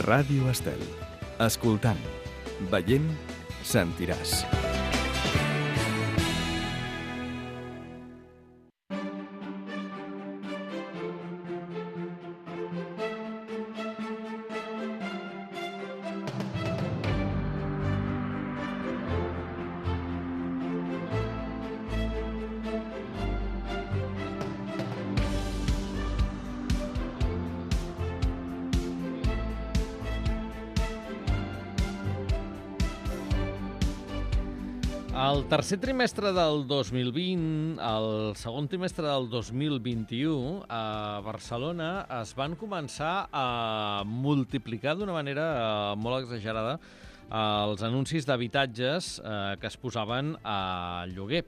Ràdio Estel. Escoltant, veient, sentiràs. El tercer trimestre del 2020, el segon trimestre del 2021, a Barcelona es van començar a multiplicar d'una manera molt exagerada els anuncis d'habitatges que es posaven a lloguer.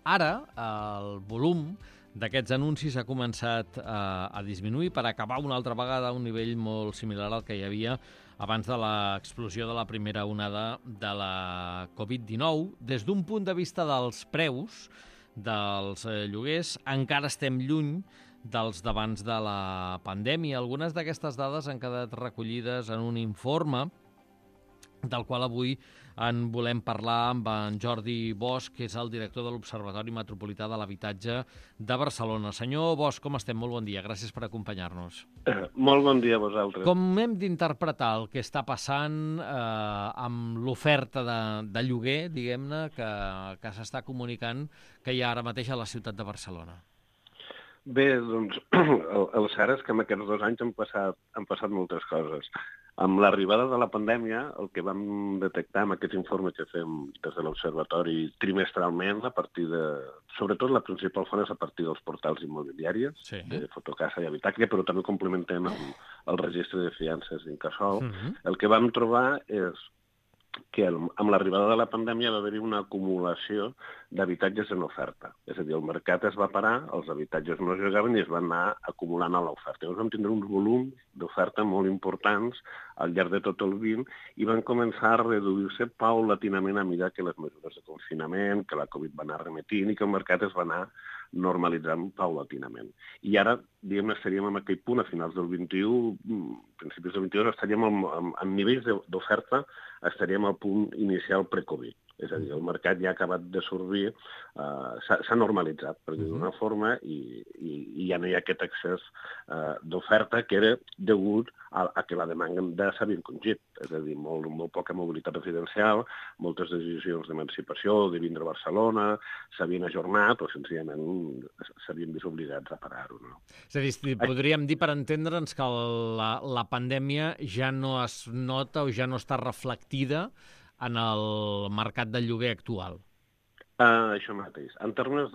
Ara, el volum d'aquests anuncis ha començat a disminuir per acabar una altra vegada a un nivell molt similar al que hi havia abans de l'explosió de la primera onada de la Covid-19. Des d'un punt de vista dels preus dels lloguers, encara estem lluny dels d'abans de la pandèmia. Algunes d'aquestes dades han quedat recollides en un informe del qual avui en volem parlar amb en Jordi Bosch, que és el director de l'Observatori Metropolità de l'Habitatge de Barcelona. Senyor Bosch, com estem? Molt bon dia. Gràcies per acompanyar-nos. Molt bon dia a vosaltres. Com hem d'interpretar el que està passant amb l'oferta de lloguer, diguem-ne, que s'està comunicant que hi ha ara mateix a la ciutat de Barcelona? Bé, doncs, el cert és que en aquests 2 anys han passat moltes coses. Amb l'arribada de la pandèmia, el que vam detectar amb aquest informe que fem des de l'Observatori trimestralment, a partir de... Sobretot la principal font és a partir dels portals immobiliaris, sí, de Fotocasa i Habitaclia, però també complementem el registre de fiances d'Incasòl. El que vam trobar és que amb l'arribada de la pandèmia va haver-hi una acumulació d'habitatges en oferta. És a dir, el mercat es va parar, els habitatges no es llogaven i es van anar acumulant a l'oferta. Llavors vam tindre uns volums d'oferta molt importants al llarg de tot el 20 i van començar a reduir-se paulatinament a mesura que les mesures de confinament, que la Covid va anar remetint i que el mercat es va anar normalitzant paulatinament. I ara, diguem-ne, estaríem en aquell punt, a finals del 21, principis del 22, estaríem en nivells d'oferta, estaríem al punt inicial pre-Covid. És a dir, el mercat ja ha acabat de sortir, s'ha normalitzat, per dir d'una forma, i ja no hi ha aquest excés d'oferta que era degut a que la demanda s'havia encongit. És a dir, molt poca mobilitat residencial, moltes decisions d'emancipació, de vindre a Barcelona, s'havien ajornat o senzillament s'havien vist obligats a parar-ho. No? És a dir, podríem dir, per entendre'ns, que la pandèmia ja no es nota o ja no està reflectida en el mercat del lloguer actual? Això mateix. En termes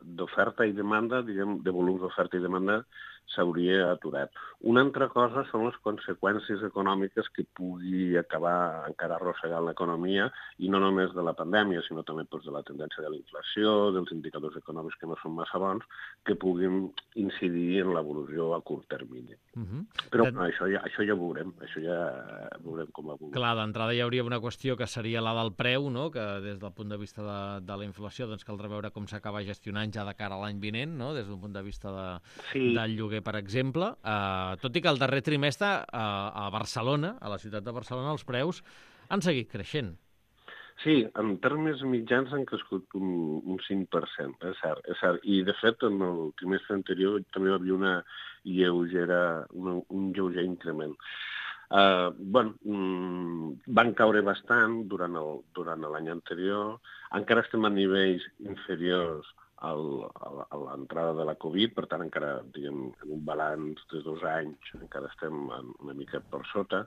d'oferta i demanda, diguem, de volums d'oferta i demanda, s'hauria aturat. Una altra cosa són les conseqüències econòmiques que pugui acabar encara arrossegant l'economia, i no només de la pandèmia, sinó també de la tendència de la inflació, dels indicadors econòmics que no són massa bons, que puguin incidir en l'evolució a curt termini. Però això ja ho veurem, això ja veurem com evoluciona. Clar, d'entrada hi hauria una qüestió que seria la del preu, no? Que des del punt de vista de la inflació doncs caldrà veure com s'acaba gestionant ja de cara a l'any vinent, no? Des d'un punt de vista del lloguer, per exemple. Tot i que el darrer trimestre a Barcelona, a la ciutat de Barcelona, els preus han seguit creixent. Sí, en termes mitjans han crescut un 5%, és cert. I, de fet, en el trimestre anterior també hi havia un lleuger increment. Van caure bastant durant l'any anterior. Encara estem a nivells inferiors a l'entrada de la Covid, per tant, encara, diguem, en un balanç de 2 anys, encara estem una mica per sota,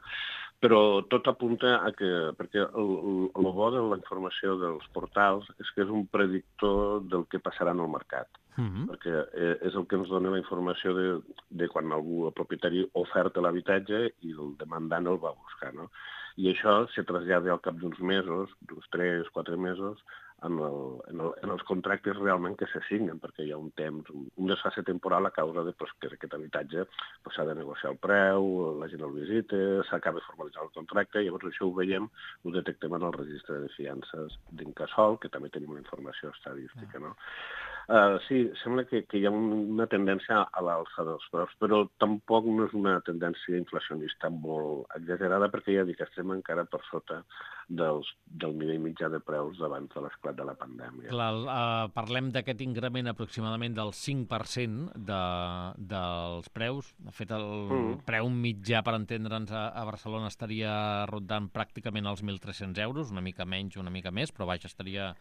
però tot apunta a que, perquè el bo de la informació dels portals és que és un predictor del que passarà en el mercat, perquè és el que ens dona la informació de quan algú, el propietari, oferta l'habitatge i el demandant el va buscar, no? I això se trasllada al cap d'uns mesos, d'uns 3-4 mesos, en els contractes realment que se signen, perquè hi ha un temps, un desfase temporal a causa de que aquest habitatge s'ha de negociar el preu, la gent el visita, s'acaba de formalitzar el contracte, llavors això ho veiem, ho detectem en el registre de fiances d'Incasòl, que també tenim una informació estadística, no? Sí, sembla que hi ha una tendència a l'alça dels preus, però tampoc no és una tendència inflacionista molt exagerada, perquè ja dic que estem encara per sota del nivell mitjà de preus d'abans de l'esclat de la pandèmia. Clar, parlem d'aquest increment aproximadament del 5% dels preus. De fet, el preu mitjà, per entendre'ns, a Barcelona estaria rondant pràcticament els 1.300 euros, una mica menys, una mica més, però vaja, estaria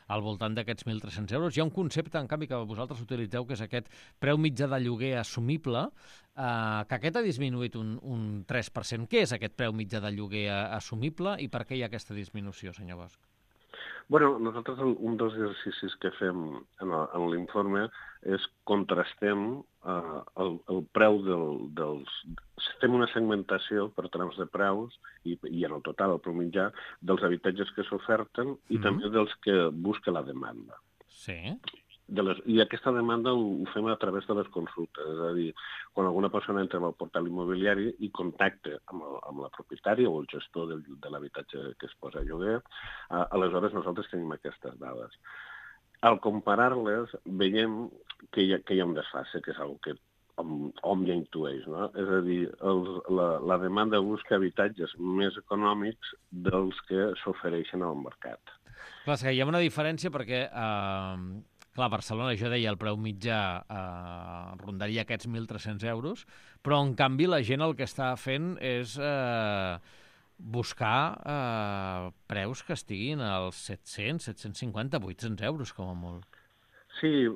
al voltant d'aquests 1.300 euros. Hi ha un concepte, en canvi, que vosaltres utilitzeu, que és aquest preu mitjà de lloguer assumible, que aquest ha disminuït un 3%. Què és aquest preu mitjà de lloguer assumible i per què hi ha aquesta disminució, senyor Bosch? Bueno, nosaltres un dels exercicis que fem en l'informe és contrastem el preu dels... Fem una segmentació per trams de preus i en el total, el preu mitjà, dels habitatges que s'oferten i també dels que busca la demanda. Sí. I aquesta demanda ho fem a través de les consultes, és a dir, quan alguna persona entra en el portal immobiliari i contacta amb la propietària o el gestor de l'habitatge que es posa a lloguer, aleshores nosaltres tenim aquestes dades. Al comparar-les, veiem que hi ha un desfase, que és una que hom ja intueix, no? És a dir, la demanda busca habitatges més econòmics dels que s'ofereixen al mercat. Clar, és que hi ha una diferència perquè... Clar, a Barcelona, jo deia, el preu mitjà rondaria aquests 1.300 euros, però, en canvi, la gent el que està fent és buscar preus que estiguin als 700, 750, 800 euros, com a molt. Sí,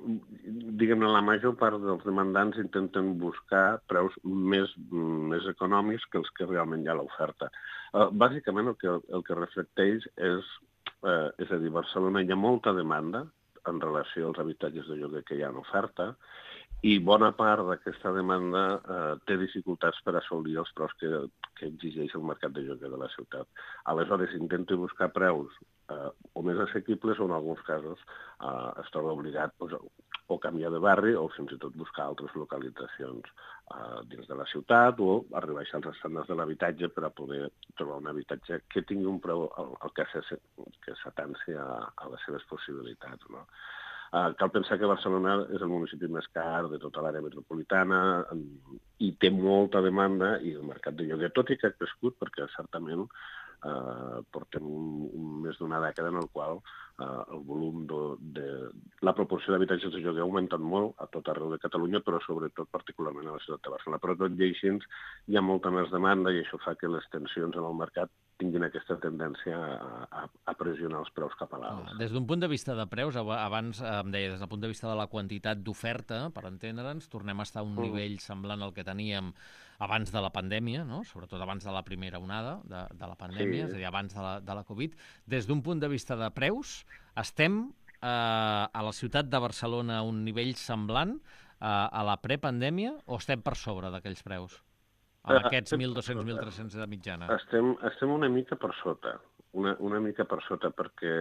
diguem-ne, la major part dels demandants intenten buscar preus més econòmics que els que realment hi ha a l'oferta. Bàsicament, el que reflecteix és a dir, a Barcelona hi ha molta demanda en relació als habitatges de lloguer que hi ha en oferta, i bona part d'aquesta demanda té dificultats per assolir els preus que exigeix el mercat de lloguer de la ciutat. Aleshores, intento buscar preus o més assequibles o, en alguns casos, es troba obligat o canviar de barri o fins i tot buscar altres localitzacions dins de la ciutat o arribar als estàndards de l'habitatge per a poder trobar un habitatge que tingui un preu que s'atansi a les seves possibilitats, no? Cal pensar que Barcelona és el municipi més car de tota l'àrea metropolitana i té molta demanda i el mercat de lloguer, tot i que ha crescut, perquè certament portem més d'una dècada en el qual el volum de la proporció d'habitatges de lloguer ha augmentat molt a tot arreu de Catalunya, però sobretot particularment a la ciutat de Barcelona. Però tot i així hi ha molta més demanda i això fa que les tensions en el mercat tinguin aquesta tendència a pressionar els preus cap a l'alt. Des d'un punt de vista de preus, abans em deia, des del punt de vista de la quantitat d'oferta, per entendre'ns, tornem a estar a un nivell semblant al que teníem abans de la pandèmia, no? Sobretot abans de la primera onada de la pandèmia, és a dir, abans de la Covid. Des d'un punt de vista de preus, estem a la ciutat de Barcelona a un nivell semblant a la prepandèmia o estem per sobre d'aquells preus? Amb aquests 1.200, 1.300 de mitjana. Estem una mica per sota, una mica per sota, perquè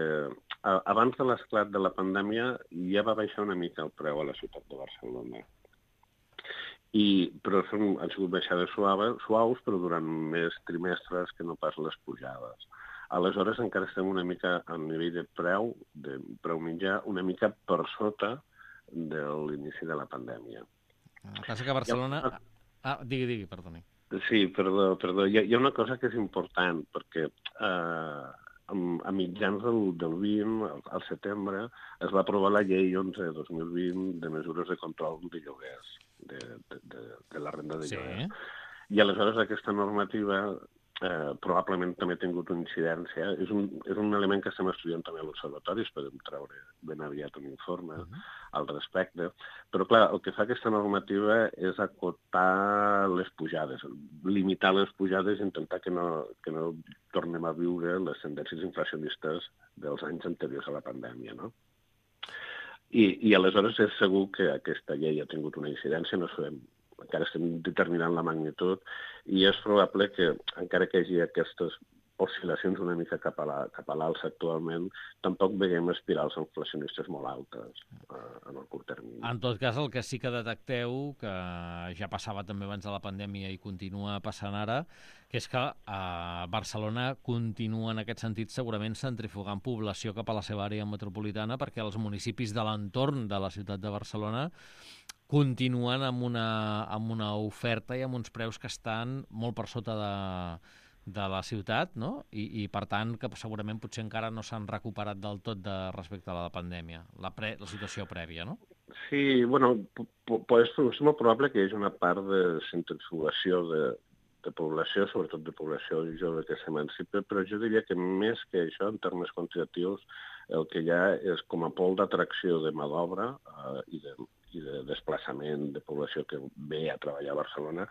abans de l'esclat de la pandèmia ja va baixar una mica el preu a la ciutat de Barcelona. Però han sigut baixades suaus, però durant més trimestres que no pas les pujades. Aleshores encara estem una mica a nivell de preu mitjà, una mica per sota de l'inici de la pandèmia. El que passa que a Barcelona... Digui, perdoni. Sí, perdó. Hi ha una cosa que és important, perquè a mitjans del 20, al setembre, es va aprovar la llei 11/2020 de mesures de control de lloguers, de la renda de lloguer. I aleshores aquesta normativa probablement també ha tingut una incidència. És un element que estem estudiant també a l'Observatori, esperem treure ben aviat un informe al respecte. Però, clar, el que fa aquesta normativa és acotar les pujades, limitar les pujades i intentar que no tornem a viure les tendències inflacionistes dels anys anteriors a la pandèmia, no? I aleshores és segur que aquesta llei ha tingut una incidència, no sabem, encara estem determinant la magnitud, i és probable que, encara que hi hagi aquestes oscil·lacions una mica cap a l'alça actualment, tampoc veiem espirals inflacionistes molt altes en el curt termini. En tot cas, el que sí que detecteu, que ja passava també abans de la pandèmia i continua passant ara, que és que Barcelona continua en aquest sentit segurament centrifugant població cap a la seva àrea metropolitana, perquè els municipis de l'entorn de la ciutat de Barcelona continuen amb una oferta i amb uns preus que estan molt per sota de la ciutat, no? I per tant, que segurament potser encara no s'han recuperat del tot respecte a la pandèmia, la situació prèvia, no? Sí, bueno, és molt probable que hi hagi una part de centrifugació de població, sobretot de població jove que s'emancipa, però jo diria que més que això, en termes quantitatius, el que hi ha és com a pol d'atracció de mà d'obra i de desplaçament de població que ve a treballar a Barcelona.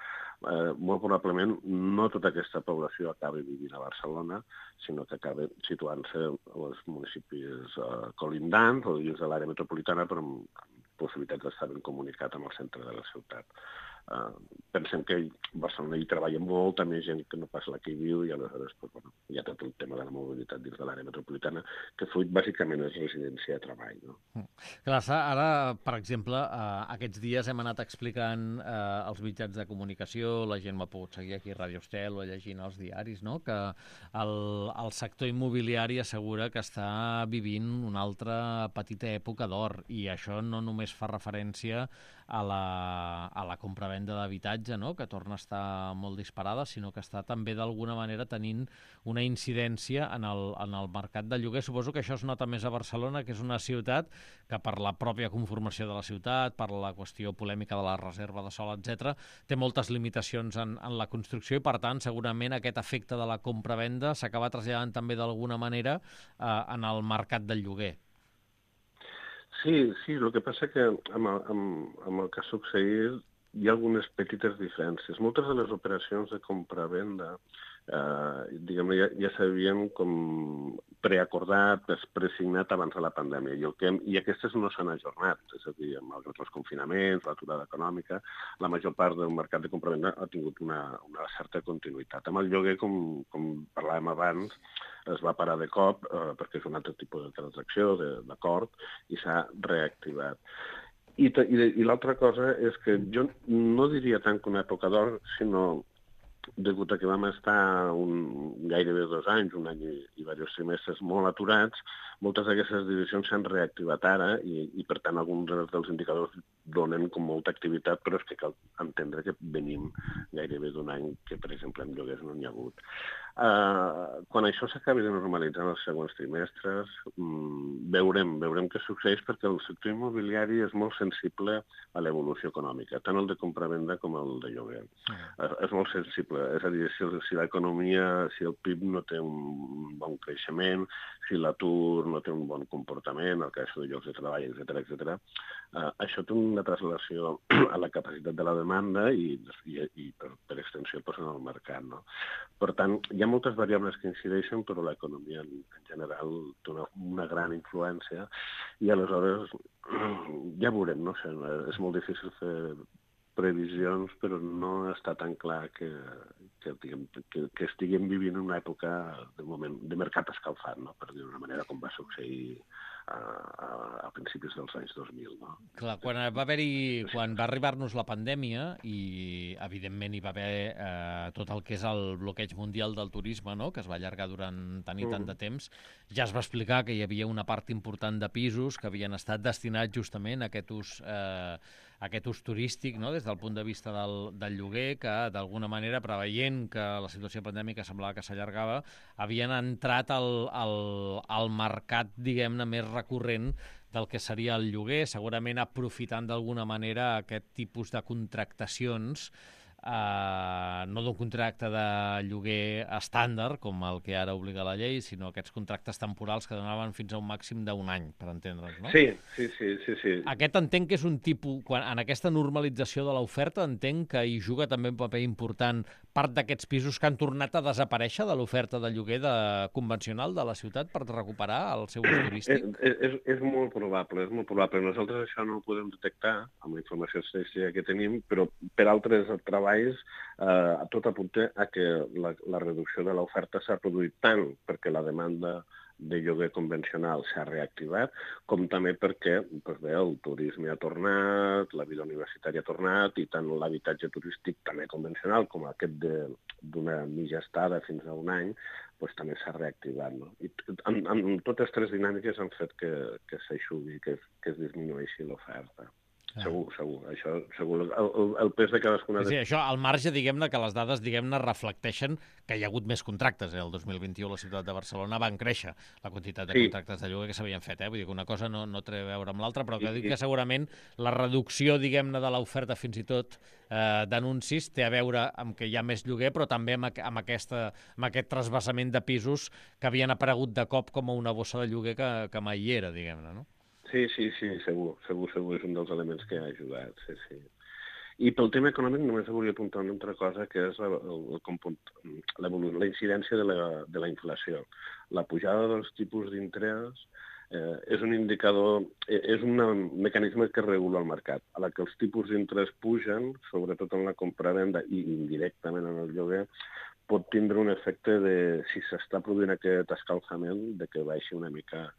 Molt probablement no tota aquesta població acabi vivint a Barcelona, sinó que acaba situant-se als municipis colindants o dins de l'àrea metropolitana, però amb possibilitats d'estar ben comunicat amb el centre de la ciutat. Pensem que a Barcelona hi treballa molta més gent que no pas la que hi viu i aleshores hi ha tot el tema de la mobilitat dins de l'àrea metropolitana, que fruit bàsicament és residència de treball. No? Clar, ara, per exemple, aquests dies hem anat explicant als mitjans de comunicació, la gent m'ha pogut seguir aquí a Ràdio Estel o llegint els diaris, no? Que el sector immobiliari assegura que està vivint una altra petita època d'or, i això no només fa referència a la compravenda d'habitatge, no? Que torna a estar molt disparada, sinó que està també d'alguna manera tenint una incidència en el mercat de lloguer. Suposo que això es nota més a Barcelona, que és una ciutat que per la pròpia conformació de la ciutat, per la qüestió polèmica de la reserva de sòl, etc., té moltes limitacions en la construcció i, per tant, segurament aquest efecte de la compravenda s'acaba traslladant també d'alguna manera en el mercat del lloguer. Sí, el que passa que amb el que ha succeït hi ha algunes petites diferències. Moltes de les operacions de compra-venda diguem-ne, ja s'havien com preacordat, presignat abans de la pandèmia, i aquestes no s'han ajornat, és a dir, malgrat els confinaments, l'aturada econòmica, la major part del mercat de compra-venda ha tingut una certa continuïtat. Amb el lloguer, com parlàvem abans, es va parar de cop perquè és un altre tipus de transacció, d'acord, i s'ha reactivat. I l'altra cosa és que jo no diria tant que una època d'or, sinó degut a que vam estar gairebé 2 anys, un any i diversos trimestres molt aturats, moltes d'aquestes divisions s'han reactivat ara i per tant, alguns dels indicadors donen com molta activitat, però és que cal entendre que venim gairebé d'un any que, per exemple, en lloguers no n'hi ha hagut. Quan això s'acabi de normalitzar en els següents trimestres, veurem què succeeix, perquè el sector immobiliari és molt sensible a l'evolució econòmica, tant el de compra-venda com el de lloguer. És molt sensible, és a dir, si l'economia, si el PIB no té un bon creixement, si l'atur no té un bon comportament, el creació de llocs de treball, etc., això té una translació a la capacitat de la demanda i per extensió en el mercat. No? Per tant, hi ha moltes variables que incideixen, però l'economia en general té una gran influència i aleshores ja veurem, no sé, és molt difícil fer previsions, però no està tan clar que estiguem vivint una època de mercat escalfat, no? Per dir d'una manera, com va succeir a principis dels anys 2000. No? Clar, quan va arribar-nos la pandèmia i, evidentment, hi va haver tot el que és el bloqueig mundial del turisme, no? Que es va allargar durant tant i tant de temps, ja es va explicar que hi havia una part important de pisos que havien estat destinats justament a aquest ús turístic, no? Des del punt de vista del lloguer, que d'alguna manera, preveient que la situació pandèmica semblava que s'allargava, havien entrat al mercat, diguem-ne, més recurrent del que seria el lloguer, segurament aprofitant d'alguna manera aquest tipus de contractacions, no d'un contracte de lloguer estàndard, com el que ara obliga la llei, sinó aquests contractes temporals que donaven fins a un màxim d'un any, per entendre'ns, no? Sí. Aquest entenc que és un tipus, en aquesta normalització de l'oferta, entenc que hi juga també un paper important part d'aquests pisos que han tornat a desaparèixer de l'oferta de lloguer convencional de la ciutat per recuperar el seu ús turístic? És molt probable, és molt probable. Nosaltres això no ho podem detectar amb la informació estadística que tenim, però per altres treballs baix, tot apunta a que la reducció de l'oferta s'ha produït tant perquè la demanda de lloguer convencional s'ha reactivat, com també perquè el turisme ha tornat, la vida universitària ha tornat, i tant l'habitatge turístic també convencional com aquest d'una mitja estada fins a un any, també s'ha reactivat. No? I amb totes tres dinàmiques han fet que s'aixugui, que es disminueixi l'oferta. Segur. Això, segur. El pes de cadascuna... Sí, això, al marge, diguem-ne, que les dades, diguem-ne, reflecteixen que hi ha hagut més contractes. El 2021 a la ciutat de Barcelona van créixer la quantitat de contractes de lloguer que s'havien fet. Vull dir que una cosa no té a veure amb l'altra, però que dic que segurament la reducció, diguem-ne, de l'oferta fins i tot d'anuncis té a veure amb que hi ha més lloguer, però també amb aquest trasbassament de pisos que havien aparegut de cop com a una bossa de lloguer que mai hi era, diguem-ne, no? Sí, segur. És un dels elements que ha ajudat, sí. I pel tema econòmic només volia apuntar una altra cosa, que és la incidència de la inflació. La pujada dels tipus d'interès és un indicador, és un mecanisme que regula el mercat. A la que els tipus d'interès pugen, sobretot en la compravenda i indirectament en el lloguer, pot tindre un efecte de, si s'està produint aquest escalfament, de que baixi una mica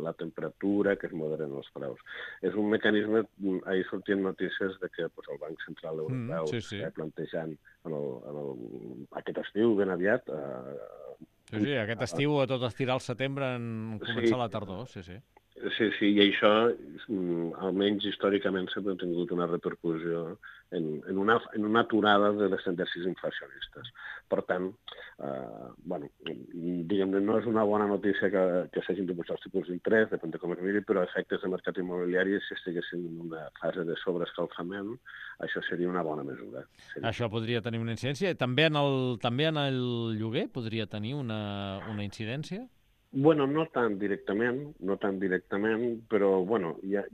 la temperatura, que es moderen els preus. És un mecanisme, ahir sortien notícies de que el Banc Central Europeu està plantejant aquest estiu ben aviat. Sí, aquest estiu a tot estirar al setembre en començar la tardor, sí. Sí, i això, almenys històricament, sempre ha tingut una repercussió en una aturada de les tendències inflacionistes. Per tant, diguem-ne, no és una bona notícia que s'hagin de pujar els tipus d'interès, depèn de com es miri, però efectes de mercat immobiliari, si estiguessin en una fase de sobreescalfament, això seria una bona mesura. Això podria tenir una incidència. També en el lloguer podria tenir una incidència? Bueno, no tan directament, però hi ha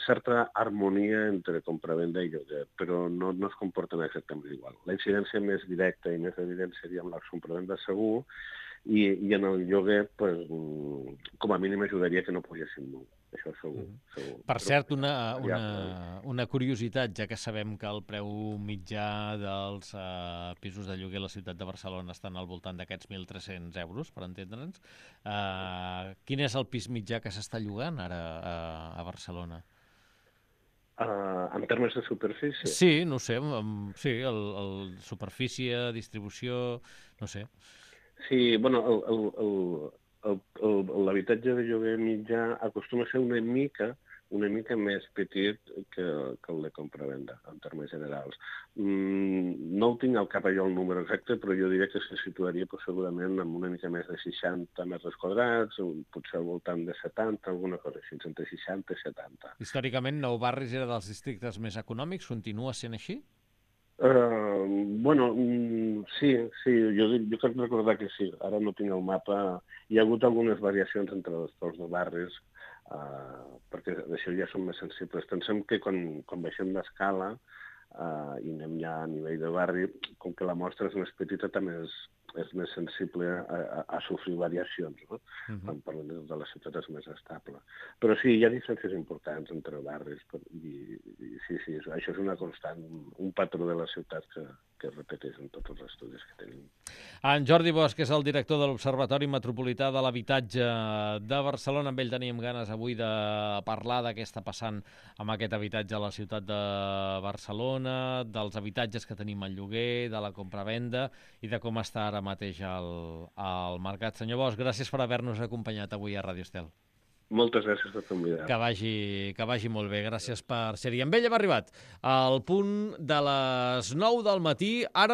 certa harmonia entre compravenda i lloguer, però no es comporten exactament igual. La incidència més directa i més evident seria amb la compravenda segur, i en el lloguer, com a mínim ajudaria que no pugessin molt. Això segur. Per cert, una curiositat, ja que sabem que el preu mitjà dels pisos de lloguer a la ciutat de Barcelona estan al voltant d'aquests 1.300 euros, per entendre'ns. Quin és el pis mitjà que s'està llogant ara a Barcelona? En termes de superfície? Sí, no sé, el superfície, distribució, no sé. Sí, l'habitatge de lloguer mitjà acostuma a ser una mica més petit que el de compravenda, en termes generals. No ho tinc al cap allò el número exacte, però jo diria que se situaria segurament amb una mica més de 60 metres quadrats, potser al voltant de 70, alguna cosa així, entre 60 i 70. Històricament, Nou Barris era dels districtes més econòmics, continua sent així? Sí, jo crec recordar que sí. Ara no tinc el mapa. Hi ha hagut algunes variacions entre els torns de barris, perquè d'això ja són més sensibles. Pensem que quan baixem l'escala i anem ja a nivell de barri, com que la mostra és més petita, també és més sensible a sofrir variacions, no? Quan parlem de la ciutat és més estable. Però sí, hi ha diferències importants entre barris, i sí, això és una constant, un patró de la ciutat que es repeteix en tots els estudis que tenim. En Jordi Bosch, que és el director de l'Observatori Metropolità de l'Habitatge de Barcelona, amb ell teníem ganes avui de parlar de què està passant amb aquest habitatge a la ciutat de Barcelona, dels habitatges que tenim al lloguer, de la compravenda i de com està ara mateix al mercat. Senyor Bosch, gràcies per haver-nos acompanyat avui a Ràdio Estel. Moltes gràcies per convidar. Que vagi molt bé. Gràcies per ser-hi. Amb ell hem arribat al punt de les 9 del matí. Ara